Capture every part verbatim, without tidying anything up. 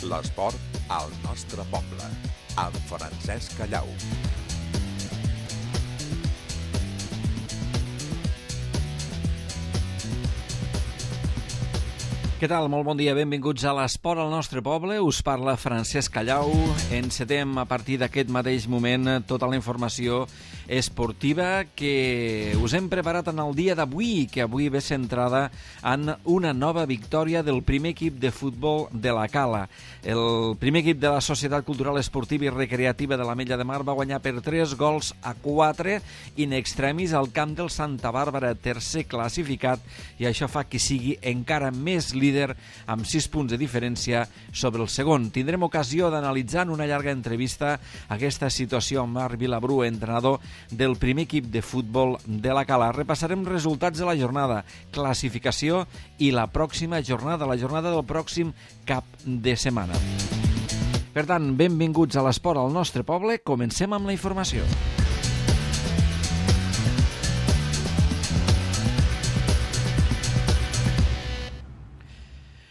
L'esport al nostre poble, amb Francesc Callau. Què tal? Molt bon dia, benvinguts a l'Esport al nostre poble. Us parla Francesc Callau. Encetem a partir d'aquest mateix moment tota la informació esportiva que us hem preparat en el dia d'avui, que avui ve centrada en una nova victòria del primer equip de futbol de la Cala. El primer equip de la Societat Cultural Esportiva i Recreativa de l'Ametlla de Mar va guanyar per tres gols a quatre in extremis al camp del Santa Bàrbara, tercer classificat, i això fa que sigui encara més líder amb sis punts de diferència sobre el segon. Tindrem ocasió d'analitzar en una llarga entrevista aquesta situació amb Marc Vilabrú, entrenador del primer equip de futbol de la Cala. Repassarem resultats de la jornada, classificació i la pròxima jornada, la jornada del pròxim cap de setmana. Per tant, benvinguts a l'Esport al nostre poble. Comencem amb la informació.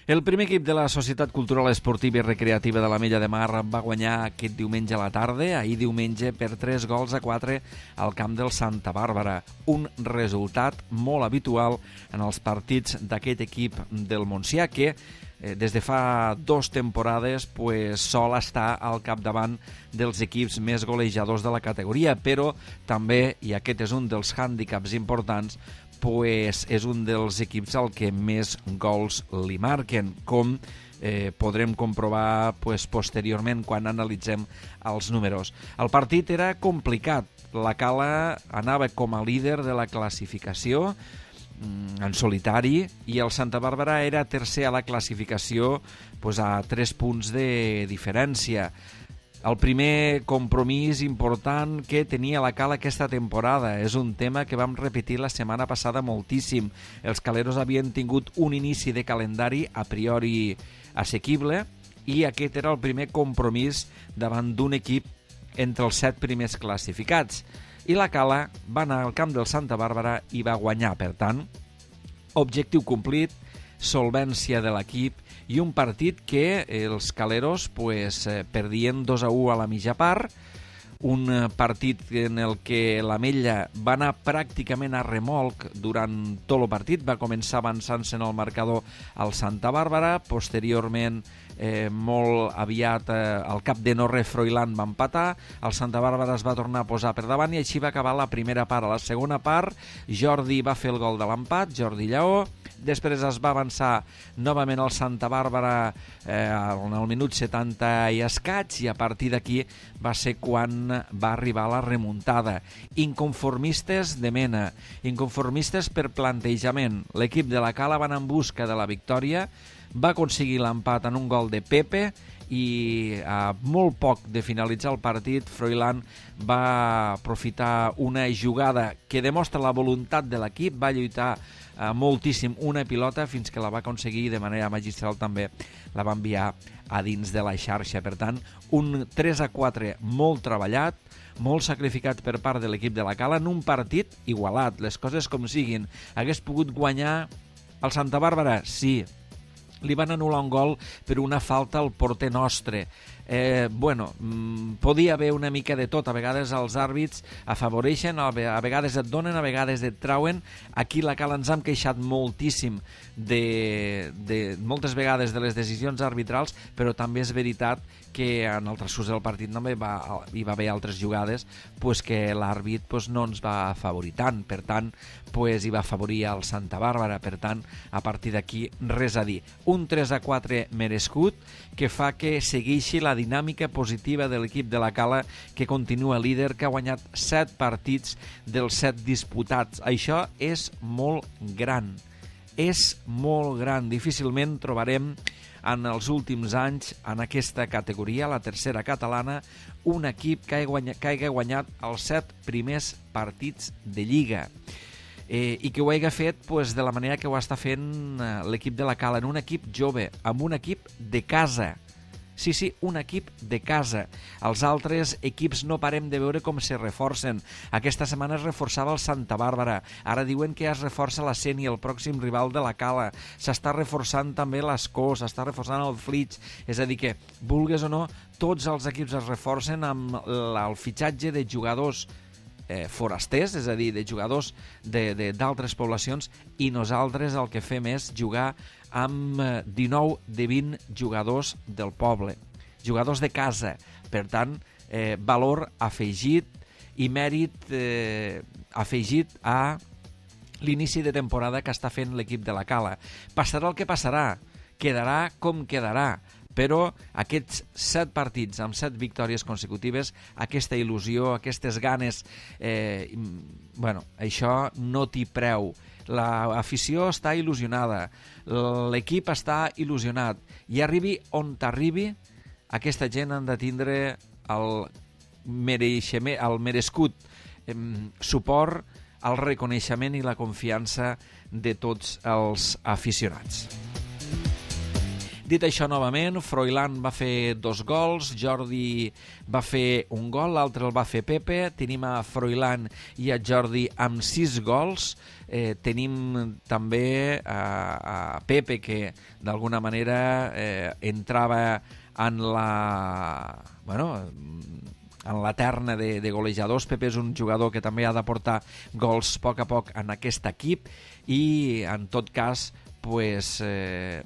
El primer equip de la Societat Cultural Esportiva i Recreativa de l'Ametlla de Mar va guanyar aquest diumenge a la tarda, ahir diumenge, per tres gols a quatre al camp del Santa Bàrbara. Un resultat molt habitual en els partits d'aquest equip del Montsià, que eh, des de fa dues temporades pues, sol estar al capdavant dels equips més golejadors de la categoria, però també, i aquest és un dels hàndicaps importants, pues és un dels equips al que més gols li marquen, com eh, podrem comprovar pues, posteriorment quan analitzem els números. El partit era complicat. La Cala anava com a líder de la classificació en solitari i el Santa Bàrbara era tercer a la classificació pues, a tres punts de diferència. El primer compromís important que tenia la Cala aquesta temporada és un tema que vam repetir la setmana passada moltíssim. Els caleros havien tingut un inici de calendari a priori assequible i aquest era el primer compromís davant d'un equip entre els set primers classificats. I la Cala va anar al camp del Santa Bàrbara i va guanyar. Per tant, objectiu complit, solvència de l'equip i un partit que els caleros pues, perdien dos a u a la mitja part, un partit en el que l'Ametlla va anar pràcticament a remolc durant tot el partit, va començar avançant-se en el marcador al Santa Bàrbara, posteriorment eh, molt aviat eh, al cap de no res Froilán va empatar, el Santa Bàrbara es va tornar a posar per davant i així va acabar la primera part. A la segona part Jordi va fer el gol de l'empat, Jordi Lleó. Després es va avançar novament al Santa Bàrbara eh, en el minut setanta i escaig i a partir d'aquí va ser quan va arribar la remuntada. Inconformistes de mena, inconformistes per plantejament. L'equip de la Cala va anar en busca de la victòria, va aconseguir l'empat en un gol de Pepe i a molt poc de finalitzar el partit Froilán va aprofitar una jugada que demostra la voluntat de l'equip, va lluitar eh, moltíssim una pilota fins que la va aconseguir de manera magistral, també la va enviar a dins de la xarxa. Per tant, un tres a quatre molt treballat, molt sacrificat per part de l'equip de la Cala en un partit igualat, les coses com siguin. Hagués pogut guanyar el Santa Bàrbara? Sí. Li van anul·lar un gol per una falta al porter nostre. Eh, bueno, mmm, podia haver una mica de tot. A vegades els àrbits afavoreixen, a vegades et donen, a vegades et trauen. Aquí la Cala ens hem queixat moltíssim de, de moltes vegades de les decisions arbitrals, però també és veritat que en el transcurs del partit també va, hi va haver altres jugades pues, que l'àrbit pues, no ens va afavorir tant. Per tant, pues, hi va afavorir el Santa Bàrbara. Per tant, a partir d'aquí, res a dir. Un tres a quatre merescut que fa que segueixi la dinàmica positiva de l'equip de la Cala, que continua líder, que ha guanyat set partits dels set disputats. Això és molt gran. És molt gran. Difícilment trobarem en els últims anys en aquesta categoria, la tercera catalana, un equip que hagi guanyat, que hagi guanyat els set primers partits de Lliga. Eh, i que ho hagi fet pues, de la manera que ho està fent eh, l'equip de la Cala, en un equip jove, amb un equip de casa. Sí, sí, un equip de casa. Els altres equips no parem de veure com se reforcen. Aquesta setmana es reforçava el Santa Bàrbara. Ara diuen que es reforça la Sénia, el pròxim rival de la Cala. S'està reforçant també l'Escó, s'està reforçant el Flix. És a dir que, vulgues o no, tots els equips es reforcen amb el fitxatge de jugadors eh, forasters, és a dir, de jugadors d'altres poblacions, i nosaltres el que fem és jugar amb dinou de vint jugadors del poble, jugadors de casa. Per tant, eh, valor afegit i mèrit eh, afegit a l'inici de temporada que està fent l'equip de la Cala. Passarà el que passarà, quedarà com quedarà, però aquests set partits amb set victòries consecutives, aquesta il·lusió, aquestes ganes, eh, bueno, això no t'hi preu. L'afició està il·lusionada, l'equip està il·lusionat, i arribi on t'arribi, aquesta gent han de tindre el, mereixement, el merescut eh, suport, el reconeixement i la confiança de tots els aficionats. Dit això, novament, Froilán va fer dos gols, Jordi va fer un gol, l'altre el va fer Pepe. Tenim a Froilán i a Jordi amb sis gols. Eh, tenim també a, a Pepe, que d'alguna manera eh, entrava en la... bueno, en la terna de, de golejadors. Pepe és un jugador que també ha d'aportar gols a poc a poc en aquest equip, i en tot cas, pues, eh,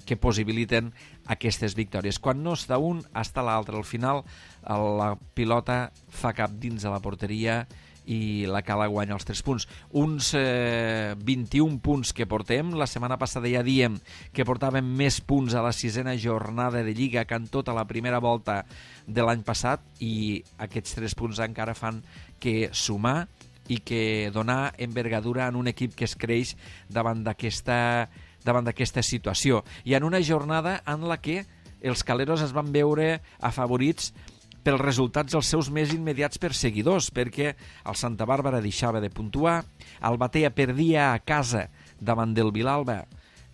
que possibiliten aquestes victòries. Quan no està un, està l'altre. Al final, la pilota fa cap dins de la porteria i la Cala guanya els tres punts. Uns eh, vint-i-un punts que portem. La setmana passada ja diem que portàvem més punts a la sisena jornada de Lliga que en tota la primera volta de l'any passat, i aquests tres punts encara fan que sumar i que donar envergadura en un equip que es creix davant d'aquesta davant d'aquesta situació, i en una jornada en la que els caleros es van veure afavorits pels resultats dels seus més immediats perseguidors, perquè el Santa Bàrbara deixava de puntuar, el Batea perdia a casa davant del Vilalba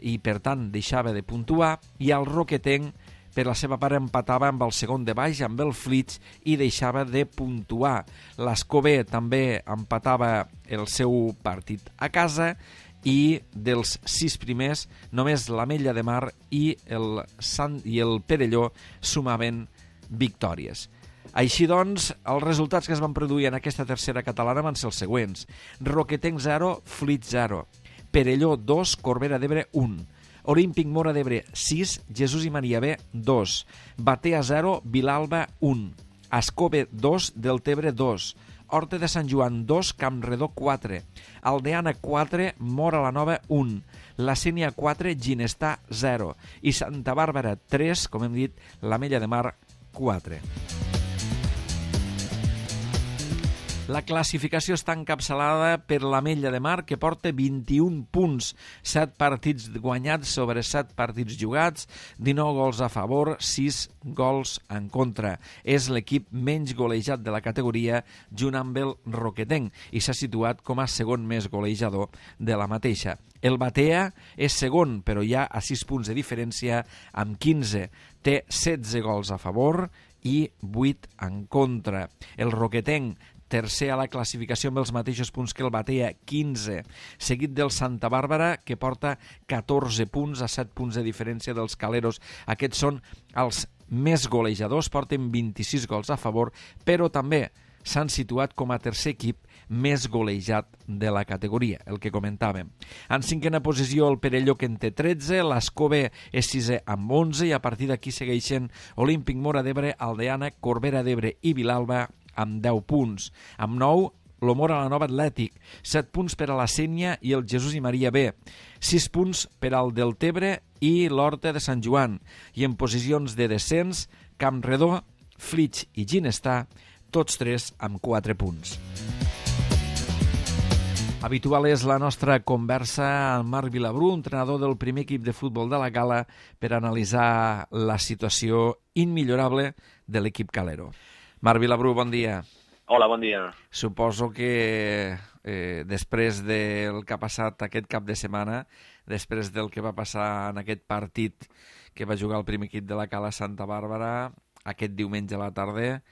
i per tant deixava de puntuar, i el Roquetenc per la seva part empatava amb el segon de baix, amb el Flix, i deixava de puntuar. L'Escobé també empatava el seu partit a casa, i dels sis primers només l'Ametlla de Mar i el, Sant, i el Perelló sumaven victòries. Així doncs, els resultats que es van produir en aquesta tercera catalana van ser els següents: Roquetenc zero, Flix zero, Perelló dos, Corbera d'Ebre un, Olímpic Móra d'Ebre sis, Jesús i Maria B dos, Batea zero, Vilalba un, Escobe dos, Deltebre dos, Horta de Sant Joan dos, Campredó quatre, Aldeana quatre, Móra la Nova un, La Sénia quatre, Ginestar zero i Santa Bàrbara tres, com hem dit, l'Ametlla de Mar quatre. La classificació està encapçalada per l'Ametlla de Mar, que porta vint-i-un punts, set partits guanyats sobre set partits jugats, dinou gols a favor, sis gols en contra. És l'equip menys golejat de la categoria, junt amb el Roquetenc, i s'ha situat com a segon més golejador de la mateixa. El Batea és segon, però ja a sis punts de diferència, amb quinze. Té setze gols a favor i vuit en contra. El Roquetenc, tercer a la classificació amb els mateixos punts que el Batea, quinze, seguit del Santa Bàrbara, que porta catorze punts, a set punts de diferència dels caleros. Aquests són els més golejadors, porten vint-i-sis gols a favor, però també s'han situat com a tercer equip més golejat de la categoria, el que comentàvem. En cinquena posició el Perelló, que en té tretze, l'Escobé és sisè amb onze, i a partir d'aquí segueixen Olímpic Móra d'Ebre, Aldeana, Corbera d'Ebre i Vilalba amb deu punts. Amb nou, l'Omora la Nova Atlètic, set punts per a la Sénia i el Jesús i Maria B, sis punts per al Deltebre i l'Horta de Sant Joan, i en posicions de descens, Campredó, Flix i Ginestar, tots tres amb quatre punts. Habitual és la nostra conversa amb Marc Vilabrú, entrenador del primer equip de futbol de la Cala, per analitzar la situació immillorable de l'equip calero. Marc Vilabrú, bon dia. Hola, bon dia. Suposo que eh, després del que ha passat aquest cap de setmana, després del que va passar en aquest partit que va jugar el primer equip de la Cala Santa Bàrbara, aquest diumenge a la tarda,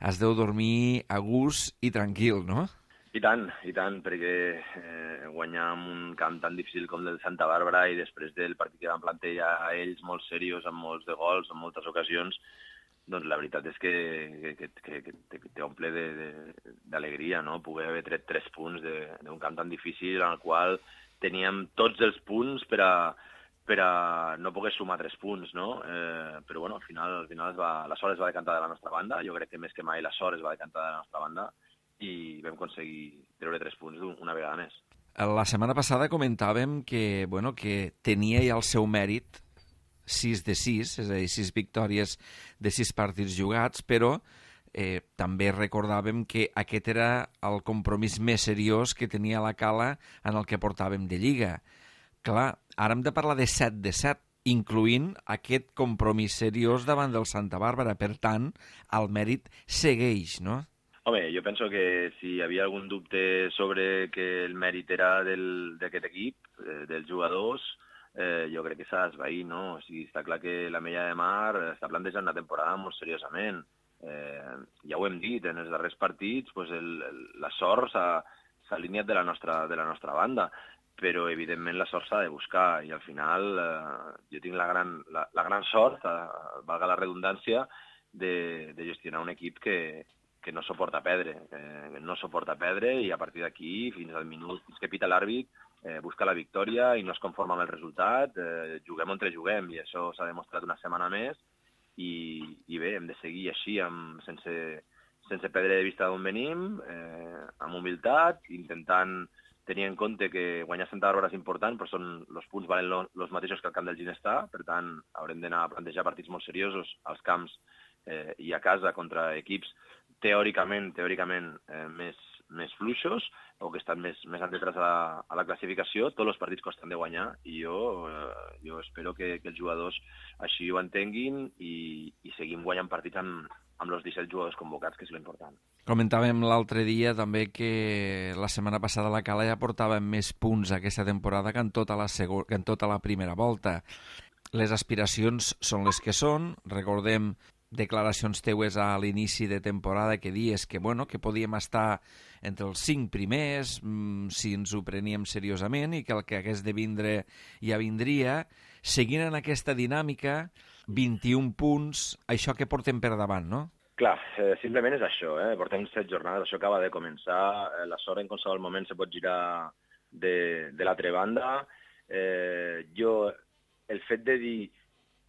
es deu dormir a gust i tranquil, no? I tant, i tant, perquè eh, guanyar en un camp tan difícil com el de Santa Bàrbara i després del partit que van plantejar a ells molt seriós, amb molts de gols, en moltes ocasions, doncs la veritat és que, que, que, que t'omple d'alegria, no? Poder haver tret tres punts d'un camp tan difícil en el qual teníem tots els punts per a, per a no poder sumar tres punts, no? Eh, però bueno, al final, al final es va, la sort es va decantar de la nostra banda, jo crec que més que mai la sort es va decantar de la nostra banda, i vam aconseguir treure tres punts una vegada més. La setmana passada comentàvem que, bueno, que tenia ja el seu mèrit sis de sis, és a dir, sis victòries de sis partits jugats, però eh, també recordàvem que aquest era el compromís més seriós que tenia la Cala en el que portàvem de Lliga. Clar, ara hem de parlar de set de set, incloent aquest compromís seriós davant del Santa Bàrbara. Per tant, el mèrit segueix, no? Home, jo penso que si hi havia algun dubte sobre que el mèrit era d'aquest equip, eh, dels jugadors, eh, jo crec que s'ha d'esvair, no? O sigui, està clar que la Mella de Mar està plantejant una temporada molt seriosament. Eh, ja ho hem dit, en els darrers partits pues el, el, la sort s'ha alineat de la nostra, de la nostra banda, però evidentment la sort s'ha de buscar i al final eh, jo tinc la gran, la, la gran sort, eh, valga la redundància, de, de gestionar un equip que que no suporta perdre, eh, no suporta perdre i a partir d'aquí, fins al minut, fins que pita l'àrbit, eh, busca la victòria i no es conforma amb el resultat, eh, juguem on juguem i això s'ha demostrat una setmana més i, i bé, hem de seguir així, amb, sense, sense perdre de vista d'on venim, eh, amb humilitat, intentant tenir en compte que guanyar Santa Bàrbara és important, però són, els punts valen els mateixos que el camp del Ginestar, per tant, haurem d'anar a plantejar partits molt seriosos als camps eh, i a casa contra equips teòricament, teòricament eh, més, més fluixos o que estan més, més entrats a la, a la classificació. Tots els partits costen de guanyar i jo, eh, jo espero que, que els jugadors així ho entenguin i, i seguim guanyant partits amb, amb els disset jugadors convocats, que és l'important. Comentàvem l'altre dia també que la setmana passada la Cala ja portava més punts aquesta temporada que en tota la, segu... que en tota la primera volta. Les aspiracions són les que són, recordem declaracions teues a l'inici de temporada que dies que, bueno, que podíem estar entre els cinc primers mmm, si ens ho preníem seriosament i que el que hagués de vindre ja vindria. Seguint en aquesta dinàmica, vint-i-un punts, això que portem per davant, no? Clar, eh, simplement és això, eh? Portem set jornades, això acaba de començar, eh, la sort en qualsevol moment se pot girar de, de l'altra banda. Eh, jo, el fet de dir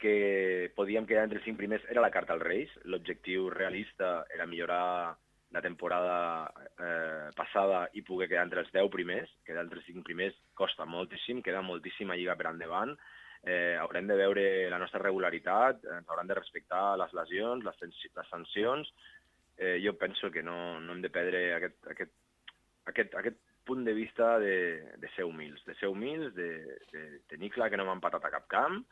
que podíem quedar entre els cinc primers era la carta als Reis. L'objectiu realista era millorar la temporada eh, passada i poder quedar entre els deu primers. Quedar entre els cinc primers costa moltíssim, queda moltíssima lliga per endavant. Eh, haurem de veure la nostra regularitat, ens hauran de respectar les lesions, les, les sancions. Eh, jo penso que no, no hem de perdre aquest, aquest, aquest, aquest punt de vista de, de ser humils, de ser humils, de, de tenir clar que no hem empatat a cap camp,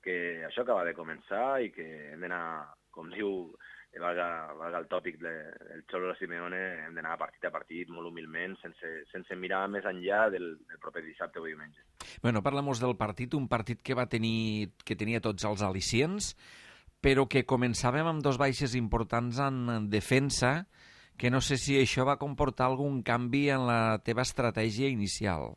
que això acaba de començar i que hem d'anar, com diu, valga, valga el tòpic del Xolo Simeone, hem d'anar partit a partit, molt humilment, sense, sense mirar més enllà del, del proper dissabte o diumenge. Bueno, parlem-nos del partit, un partit que va tenir, que tenia tots els al·licients, però que començàvem amb dos baixes importants en defensa, que no sé si això va comportar algun canvi en la teva estratègia inicial.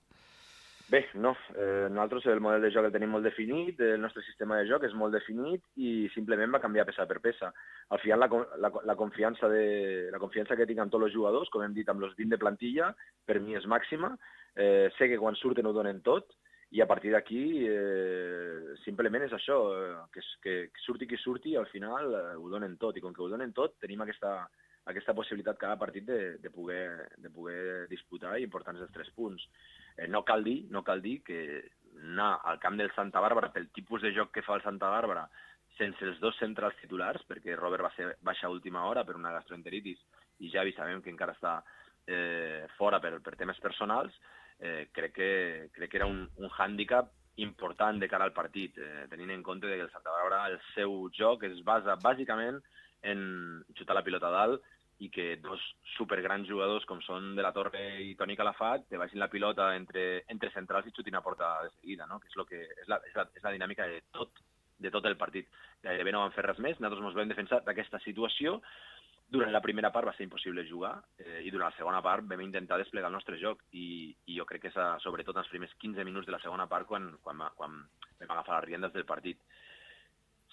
Bé, no. Eh, nosaltres el model de joc el tenim molt definit, el nostre sistema de joc és molt definit i simplement va canviar peça per peça. Al final la, la, la, confiança, de, la confiança que tinc amb tots els jugadors, com hem dit, amb els vint de plantilla, per mi és màxima. Eh, sé que quan surten ho donen tot i a partir d'aquí eh, simplement és això, eh, que, que surti qui surti, al final eh, ho donen tot i com que ho donen tot tenim aquesta, aquesta possibilitat cada partit de, de, poder, de poder disputar i importants els tres punts. Eh, no cal dir, no cal dir que anar al camp del Santa Bàrbara pel tipus de joc que fa el Santa Bàrbara sense els dos centrals titulars, perquè Robert va ser baixa a última hora per una gastroenteritis i Javi sabem que encara està eh, fora per, per temes personals, eh, crec, que, crec que era un, un hàndicap important de cara al partit, eh, tenint en compte que el Santa Bàrbara, el seu joc es basa bàsicament en xutar la pilota a dalt i que dos supergrans jugadors com són De la Torre i Toni Calafat te baixin la pilota entre, entre centrals i xutin a porta de seguida, no? Que és, lo que, és, la, és, la, és la dinàmica de tot, de tot el partit. Gairebé no van fer res més, nosaltres ens vam defensar d'aquesta situació. Durant la primera part va ser impossible jugar eh, i durant la segona part vam intentar desplegar el nostre joc i, i jo crec que és, a, sobretot en els primers quinze minuts de la segona part quan, quan, quan vam agafar les riendes del partit.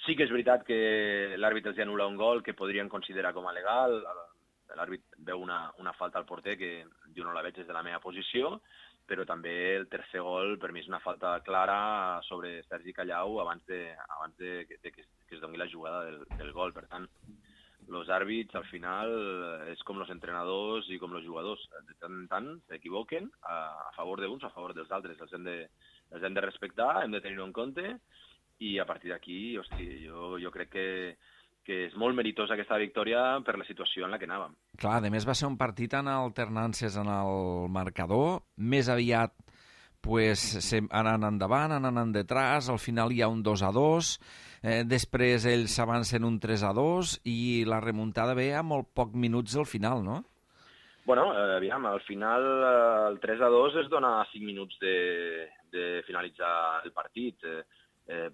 Sí que és veritat que l'àrbitre els anul·la un gol que podrien considerar com a legal. L'àrbitre veu una, una falta al porter que jo no la veig des de la meva posició, però també el tercer gol per mi és una falta clara sobre Sergi Callau abans de, abans de, de, de que, que es doni la jugada del, del gol. Per tant, els àrbits al final és com els entrenadors i com els jugadors. De tant en tant s'equivoquen a, a favor d'uns, a favor dels altres. Els hem de, els hem de respectar, hem de tenir-ho en compte i a partir d'aquí, hosti, jo, jo crec que, que és molt meritosa aquesta victòria per la situació en la que anàvem. Clar, a més va ser un partit en alternàncies en el marcador, més aviat pues, anant endavant, anant detrás, al final hi ha un dos a dos, eh, després ells s'avancen un tres a dos i la remuntada ve a molt poc minuts al final, no? Bueno, eh, aviam, al final eh, el tres a dos es dona a cinc minuts de, de finalitzar el partit. Eh, Eh,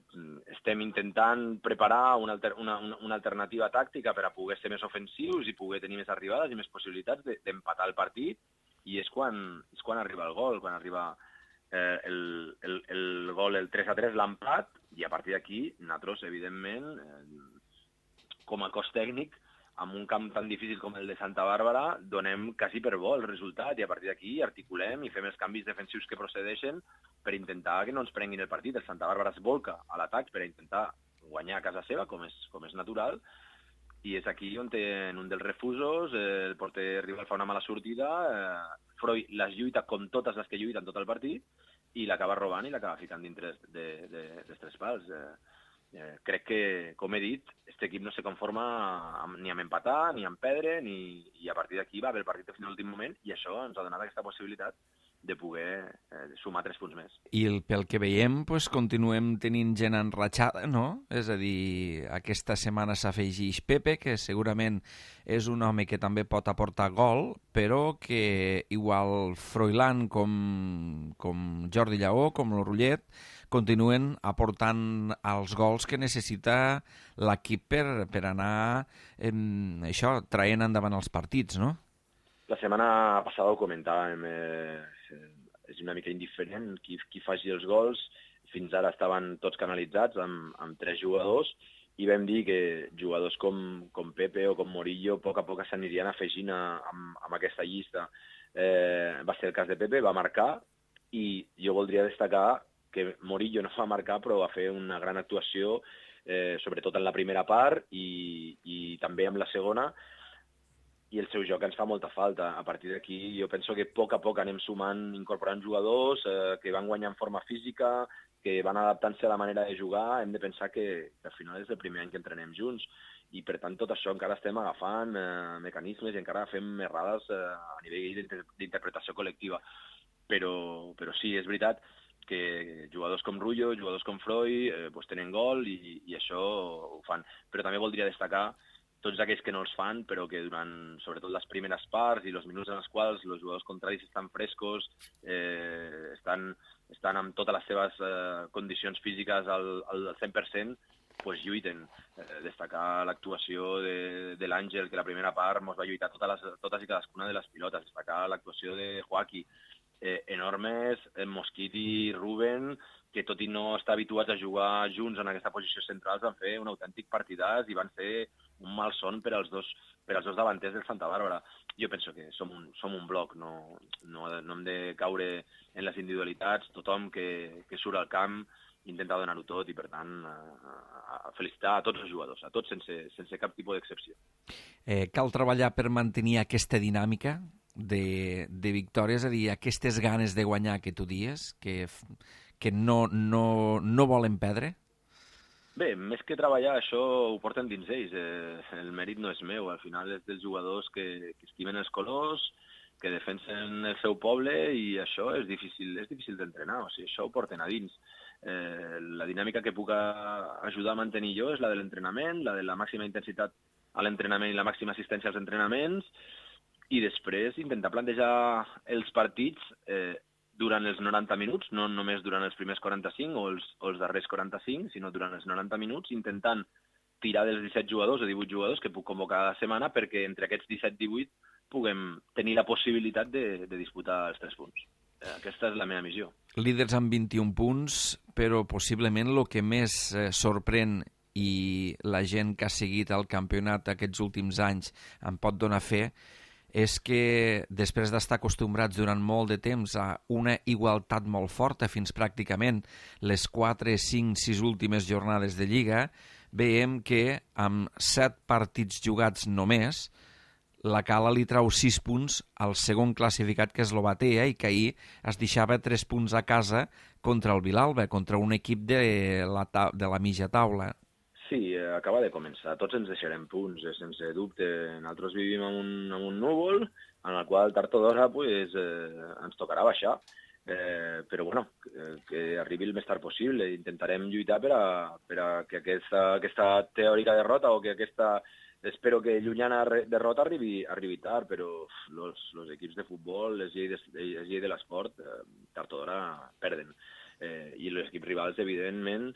estem intentant preparar una, alter, una, una alternativa tàctica per a poder ser més ofensius i poder tenir més arribades i més possibilitats d'empatar el partit, i és quan, és quan arriba el gol, quan arriba eh, el, el, el gol, el tres a tres, l'empat, i a partir d'aquí, nosaltres, evidentment, eh, com a cos tècnic, amb un camp tan difícil com el de Santa Bàrbara, donem quasi per bo el resultat i a partir d'aquí articulem i fem els canvis defensius que procedeixen per intentar que no ens prenguin el partit. El Santa Bàrbara es volca a l'atac per intentar guanyar a casa seva, com és, com és natural, i és aquí on en un dels refusos eh, el porter rival fa una mala sortida, eh, Freud les lluita com totes les que lluiten tot el partit i l'acaba robant i l'acaba ficant dintre de, de, de, dels tres pals. Eh, Eh, crec que, com he dit, aquest equip no se conforma amb, ni amb empatar, ni amb perdre, ni, i a partir d'aquí va haver el partit fins a l'últim moment i això ens ha donat aquesta possibilitat de poder eh, sumar tres punts més. I el, pel que veiem, pues, continuem tenint gent enratxada, no? És a dir, aquesta setmana s'afegeix Pepe, que segurament és un home que també pot aportar gol, però que igual Froilán com, com Jordi Lleó, com l'Orullet, continuen aportant els gols que necessita l'equip per, per anar eh, això, traient endavant els partits, no? La setmana passada ho comentàvem, eh, és una mica indiferent qui, qui faci els gols. Fins ara estaven tots canalitzats amb, amb tres jugadors i vam dir que jugadors com, com Pepe o com Morillo a poc a poc s'anirien afegint a, amb, amb aquesta llista. Eh, va ser el cas de Pepe, va marcar i jo voldria destacar que Morillo no va marcar però va fer una gran actuació, eh, sobretot en la primera part i, i també en la segona, i el seu joc ens fa molta falta. A partir d'aquí jo penso que a poc a poc anem sumant, incorporant jugadors eh, que van guanyant forma física, que van adaptant-se a la manera de jugar. Hem de pensar que, que al final és el primer any que entrenem junts i per tant tot això encara estem agafant eh, mecanismes i encara fem errades eh, a nivell d'interpretació col·lectiva. Però, però sí, és veritat que jugadors com Rullo, jugadors com Freud eh, pues tenen gol i, i això ho fan. Però també voldria destacar tots aquells que no els fan, però que durant, sobretot les primeres parts i els minuts en els quals els jugadors contraris estan frescos, eh, estan, estan amb totes les seves eh, condicions físiques al, al cent per cent, pues lluiten. Eh, destacar l'actuació de, de l'Àngel, que la primera part ens va lluitar totes, les, totes i cadascuna de les pilotes. Destacar l'actuació de Joaquí, eh, enormes, en Mosquit i Ruben, que tot i no estar habituats a jugar junts en aquesta posició central, van fer un autèntic partidàs i van ser un malson per als dos, per als dos davanters del Santa Bàrbara. Jo penso que som un, som un bloc, no, no, no hem de caure en les individualitats, tothom que, que surt al camp intenta donar-ho tot i, per tant, a, a felicitar a tots els jugadors, a tots sense, sense cap tipus d'excepció. Eh, cal treballar per mantenir aquesta dinàmica de, de victòries, és a dir, aquestes ganes de guanyar que tu dies, que, que no, no, no volen perdre? Bé, més que treballar, això ho porten dins ells. Eh, el mèrit no és meu, al final és dels jugadors que, que estimen els colors, que defensen el seu poble i això és difícil, és difícil d'entrenar, o sigui, això ho porten a dins. Eh, la dinàmica que puc ajudar a mantenir jo és la de l'entrenament, la de la màxima intensitat a l'entrenament i la màxima assistència als entrenaments, i després intentar plantejar els partits eh, durant els noranta minuts, no només durant els primers quaranta-cinc o els, o els darrers quaranta-cinc, sinó durant els noranta minuts, intentant tirar dels disset jugadors o divuit jugadors que puc convocar cada setmana perquè entre aquests disset divuit puguem tenir la possibilitat de, de disputar els tres punts. Aquesta és la meva missió. Líders amb vint-i-un punts, però possiblement el que més eh, sorprèn i la gent que ha seguit el campionat aquests últims anys en pot donar fe és que després d'estar acostumbrats durant molt de temps a una igualtat molt forta, fins pràcticament les quatre, cinc, sis últimes jornades de Lliga, veiem que amb set partits jugats només, la Cala li trau sis punts al segon classificat, que és l'Obatea, i que ahir es deixava tres punts a casa contra el Vilalba, contra un equip de la, de la mitja taula. Sí, acaba de començar. Tots ens deixarem punts, sense dubte. Nosaltres vivim en un, en un núvol en el qual tard o d'hora pues, eh, ens tocarà baixar. Eh, però bueno, que, que arribi el més tard possible. Intentarem lluitar per a, per a que aquesta, aquesta teòrica derrota o que aquesta... Espero que llunyana derrota arribi, arribi tard, però els equips de futbol, les lleis de, les lleis de l'esport, eh, tard o d'hora perden. Eh, I els equips rivals, evidentment,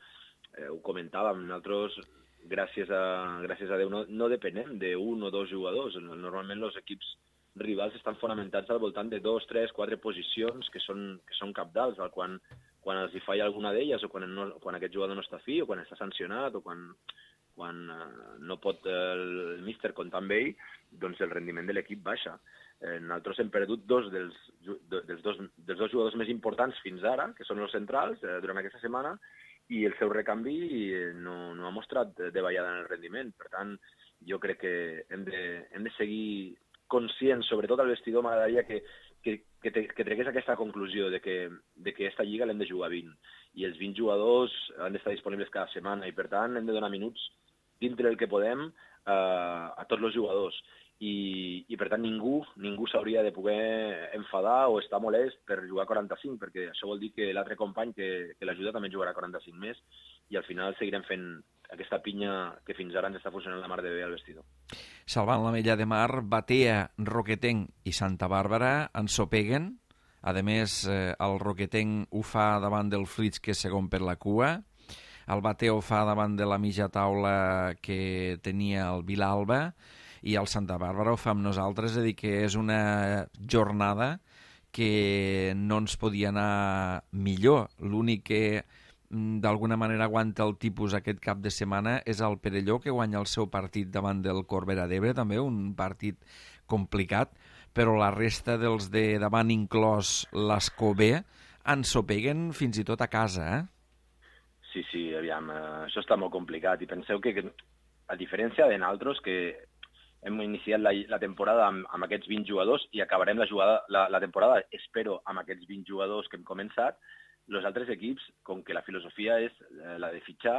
eh, ho comentàvem, nosaltres, gràcies a, gràcies a Déu, no, no depenem d'un o dos jugadors. Normalment els equips rivals estan fonamentats al voltant de dos, tres, quatre posicions que són, que són cabdals, quan, quan els hi falla alguna d'elles o quan, no, quan aquest jugador no està fi o quan està sancionat o quan... quan eh, no pot el, el míster comptar amb ell, doncs el rendiment de l'equip baixa. Eh, nosaltres hem perdut dos dels, dels, dos, dels dos jugadors més importants fins ara, que són els centrals, eh, durant aquesta setmana, i el seu recanvi no, no ha mostrat de ballada en el rendiment. Per tant, jo crec que hem de, hem de seguir conscients, sobretot al vestidor, m'agradaria que, que, que, que tregués aquesta conclusió de que, de que aquesta lliga l'hem de jugar vint, i els vint jugadors han d'estar disponibles cada setmana, i per tant hem de donar minuts dintre del que podem eh, a tots els jugadors. I, i per tant ningú ningú s'hauria de poder enfadar o estar molest per jugar quaranta-cinc, perquè això vol dir que l'altre company que, que l'ajuda també jugarà quaranta-cinc més, i al final seguirem fent aquesta pinya que fins ara ens està funcionant la mar de bé al vestidor. Salvant l'Ametlla de Mar, Batea, Roquetenc i Santa Bàrbara ensopeguen. A més, eh, el Roquetenc ho fa davant del Flix, que és segon per la cua. El Batea ho fa davant de la mitja taula que tenia el Vilalba, i el Santa Bàrbara ho fa amb nosaltres, és a dir, que és una jornada que no ens podia anar millor. L'únic que d'alguna manera aguanta el tipus aquest cap de setmana és el Perelló, que guanya el seu partit davant del Corbera d'Ebre, també un partit complicat, però la resta dels de davant, inclòs l'Escobé, ensopeguen fins i tot a casa, eh? Sí, sí, aviam, eh, això està molt complicat, i penseu que, que a diferència de nosaltres, que hem iniciat la, la temporada amb, amb aquests vint jugadors i acabarem la, jugada, la, la temporada, espero, amb aquests vint jugadors que hem començat, els altres equips, com que la filosofia és eh, la de fitxar,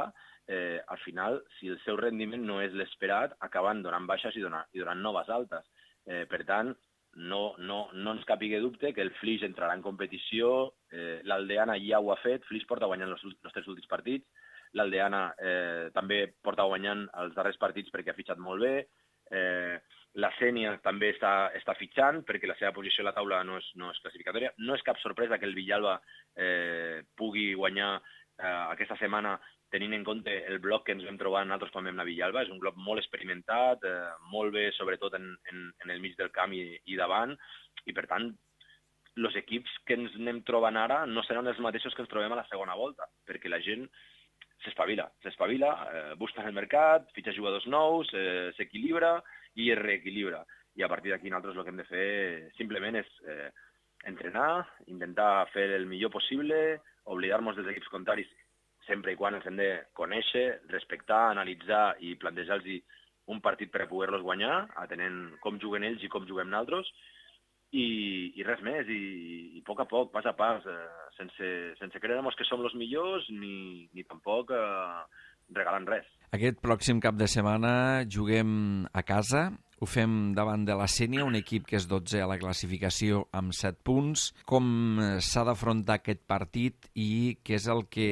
eh, al final, si el seu rendiment no és l'esperat, acaben donant baixes i donant, i donant noves altes. Eh, per tant, no, no, no ens capigui dubte que el Flix entrarà en competició, eh, l'Aldeana ja ho ha fet, Flix porta guanyant els, els tres últims partits, l'Aldeana eh, també porta guanyant els darrers partits perquè ha fitxat molt bé, eh, la Sénia també està, està fitxant perquè la seva posició a la taula no és, no és classificatòria. No és cap sorpresa que el Villalba eh, pugui guanyar eh, aquesta setmana tenint en compte el bloc que ens vam trobar nosaltres quan vam anar a Villalba. És un bloc molt experimentat, eh, molt bé, sobretot en, en, en el mig del camp i, i davant, i per tant, els equips que ens anem trobant ara no seran els mateixos que ens trobem a la segona volta, perquè la gent s'espavila, s'espavila, eh, busca el mercat, fitxa jugadors nous, eh, s'equilibra i es reequilibra. I a partir d'aquí nosaltres el que hem de fer simplement és eh, entrenar, intentar fer el millor possible, oblidar-nos dels equips contraris sempre i quan ens hem de conèixer, respectar, analitzar i plantejar-los un partit per a poder-los guanyar, atenent com juguen ells i com juguem nosaltres, i, i res més, i, i a poc a poc, pas a pas, eh, sense, sense creure-nos que som els millors ni, ni tampoc eh, regalant res. Aquest pròxim cap de setmana juguem a casa, ho fem davant de la Sénia, un equip que és dotzè a la classificació amb set punts. Com s'ha d'afrontar aquest partit i què és el que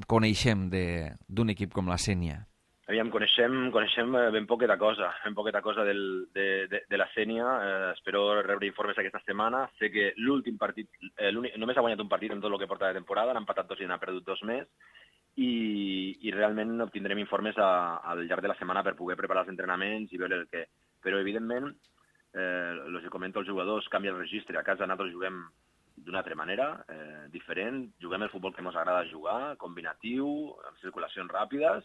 coneixem d'un equip com la Sénia? Aviam, coneixem, coneixem ben poqueta cosa, ben poqueta cosa del, de, de, de la Sénia. Eh, espero rebre informes aquesta setmana. Sé que l'últim partit, eh, només ha guanyat un partit en tot el que porta de temporada, n'ha empatat dos i n'ha perdut dos més, i, i realment obtindrem informes a, al llarg de la setmana per poder preparar els entrenaments i veure el que... Però, evidentment, eh, el que comento els jugadors, canvia el registre. A casa nosaltres juguem d'una altra manera, eh, diferent. Juguem el futbol que ens agrada jugar, combinatiu, amb circulacions ràpides,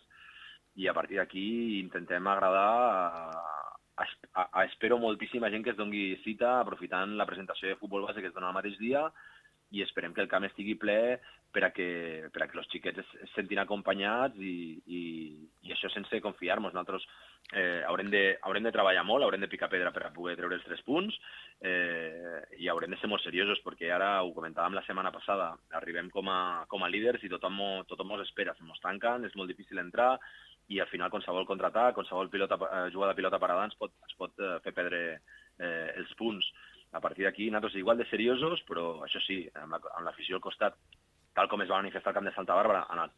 i a partir d'aquí intentem agradar a, a, a, a espero moltíssima gent que es doni cita aprofitant la presentació de futbol base que es dona el mateix dia, i esperem que el camp estigui ple per a que, per a que els xiquets es, es sentin acompanyats i, i, i això sense confiar-nos. Nosaltres eh, haurem, de, haurem de treballar molt, haurem de picar pedra per a poder treure els tres punts eh, i haurem de ser molt seriosos perquè ara, ho comentàvem la setmana passada, arribem com a, com a líders i tothom, tothom ens espera, se mos tanquen, és molt difícil entrar, i al final qualsevol contraatac, qualsevol pilota, eh, jugada de pilota parada ens pot, ens pot eh, fer perdre eh, els punts. A partir d'aquí, nosaltres igual de seriosos, però això sí, amb l'afició al costat, tal com es va manifestar al camp de Santa Bàrbara, anat,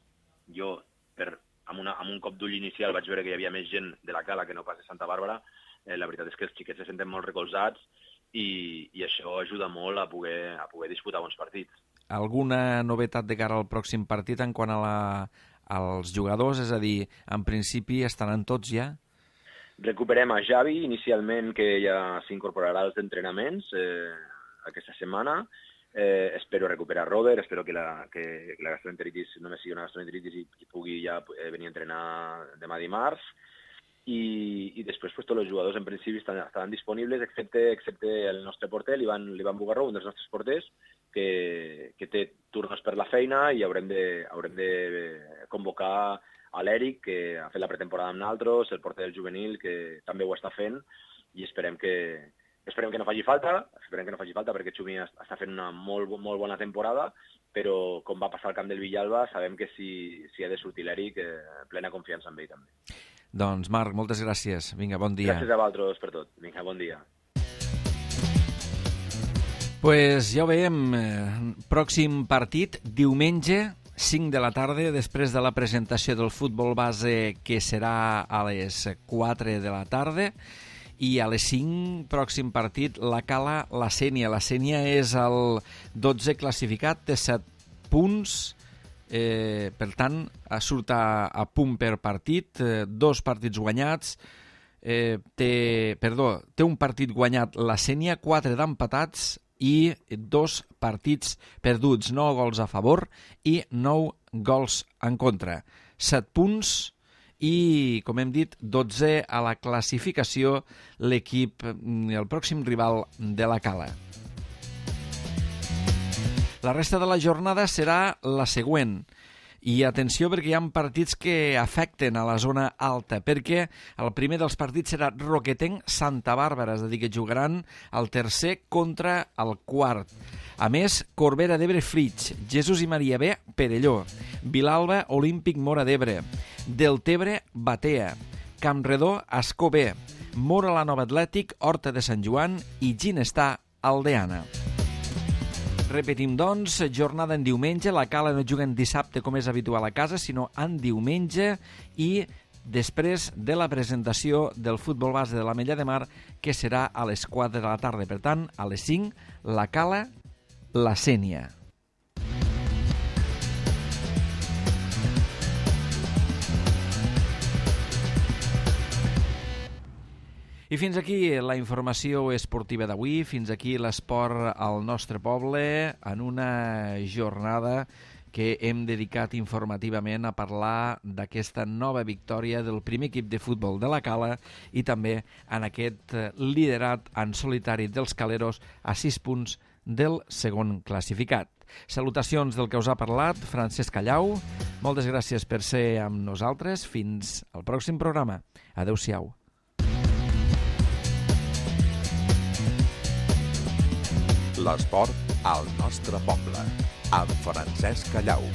jo, per, amb, una, amb un cop d'ull inicial, vaig veure que hi havia més gent de la Cala que no pas de Santa Bàrbara. Eh, la veritat és que els xiquets se senten molt recolzats i, i això ajuda molt a poder, a poder disputar bons partits. Alguna novetat de cara al pròxim partit en quant a la... als jugadors, és a dir, en principi estaran tots ja? Recuperem a Javi, inicialment, que ja s'incorporarà als entrenaments eh, aquesta setmana. Eh, espero recuperar Robert, espero que la, que la gastroenteritis només sigui una gastroenteritis i, i pugui ja eh, venir a entrenar demà dimarts. I, i després pues, tots els jugadors en principi estan, estaran disponibles, excepte, excepte el nostre porter, l'Ivan Bugarró, un dels nostres porters, que, que té turnos per la feina i haurem de, haurem de convocar a l'Eric, que ha fet la pretemporada amb nosaltres, el porter del juvenil, que també ho està fent, i esperem que, esperem que no faci falta, esperem que no faci falta perquè Xumi està fent una molt, molt bona temporada, però com va passar al camp del Villalba, sabem que si, si ha de sortir l'Eric, eh, plena confiança en ell també. Doncs Marc, moltes gràcies. Vinga, bon dia. Gràcies a vosaltres per tot. Vinga, bon dia. Pues ja ho veiem, pròxim partit, diumenge, cinc de la tarda, després de la presentació del futbol base, que serà a les quatre de la tarda, i a les cinc, pròxim partit, la Cala, la Sénia. La Sénia és el dotze classificat, té set punts, eh, per tant, surt a, a punt per partit, eh, dos partits guanyats, eh, té, perdó, té un partit guanyat la Sénia, quatre d'empatats, i dos partits perduts, nou gols a favor i nou gols en contra. Set punts i, com hem dit, dotze a la classificació l'equip, el pròxim rival de la Cala. La resta de la jornada serà la següent. I atenció perquè hi ha partits que afecten a la zona alta, perquè el primer dels partits serà Roquetenc-Santa Bàrbara, és a dir, que jugaran el tercer contra el quart. A més, Corbera d'Ebre-Flix, Jesús i Maria B, Perelló, Vilalba, Olímpic Móra d'Ebre, Deltebre-Batea, Campredó, Ascó B, Móra la Nova Atlètic, Horta de Sant Joan i Ginestar, Aldeana. Repetim, doncs, jornada en diumenge. La Cala no juga en dissabte com és habitual a casa, sinó en diumenge i després de la presentació del futbol base de l'Ametlla de Mar, que serà a les quatre de la tarda. Per tant, a les cinc, la Cala, la Sénia. I fins aquí la informació esportiva d'avui, fins aquí l'esport al nostre poble, en una jornada que hem dedicat informativament a parlar d'aquesta nova victòria del primer equip de futbol de la Cala i també en aquest liderat en solitari dels caleros a sis punts del segon classificat. Salutacions del que us ha parlat, Francesc Callau. Moltes gràcies per ser amb nosaltres. Fins al pròxim programa. Adéu-siau. L'esport al nostre poble, amb Francesc Callau.